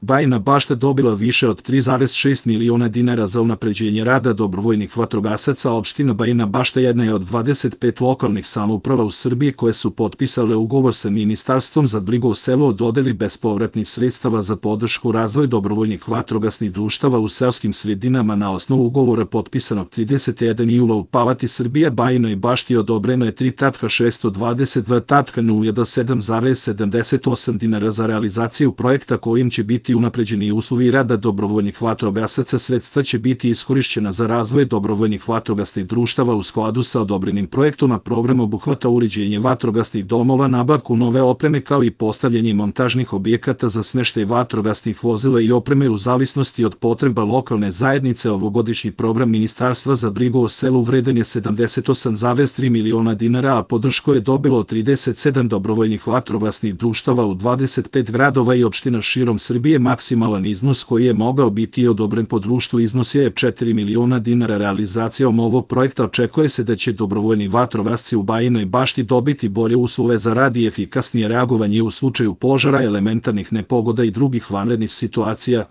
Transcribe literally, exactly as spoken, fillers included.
Bajina Bašta dobila više od tri zarez šest miliona dinara za unapređenje rada dobrovoljnih vatrogasaca. Opština Bajina Bašta jedna je od dvadeset pet lokalnih samouprava u Srbiji koje su potpisale ugovor sa Ministarstvom za brigu o selu o dodeli bespovratnih sredstava za podršku razvoju dobrovoljnih vatrogasnih društava u seoskim sredinama. Na osnovu ugovora potpisanog tridesetog prvog jula u Palati Srbije Bajinoj Bašti odobreno je tri miliona šesto dvadeset dva hiljade nula sedam zarez sedamdeset osam dinara za realizaciju projekta kojim će biti unapređeni uslovi rada dobrovoljnih vatrogasaca. Sredstva će biti iskorišćena za razvoj dobrovoljnih vatrogasnih društava u skladu sa odobrenim projektom, a program obuhvata uređenje vatrogasnih domova, nabavku nove opreme kao i postavljanje montažnih objekata za smeštaj vatrogasnih vozila i opreme u zavisnosti od potreba lokalne zajednice. Ovogodišnji program Ministarstva za brigu o selu vreden je sedamdeset osam zarez tri miliona dinara, a podršku je dobilo trideset sedam dobrovoljnih vatrogasnih društava u dvadeset pet gradova i opština širom Srbije. Maksimalan iznos koji je mogao biti odobren po društvu iznosio je četiri miliona dinara. Realizacijom ovog projekta očekuje se da će dobrovoljni vatrogasci u Bajinoj Bašti dobiti bolje uslove za rad i efikasnije reagovanje u slučaju požara, elementarnih nepogoda i drugih vanrednih situacija.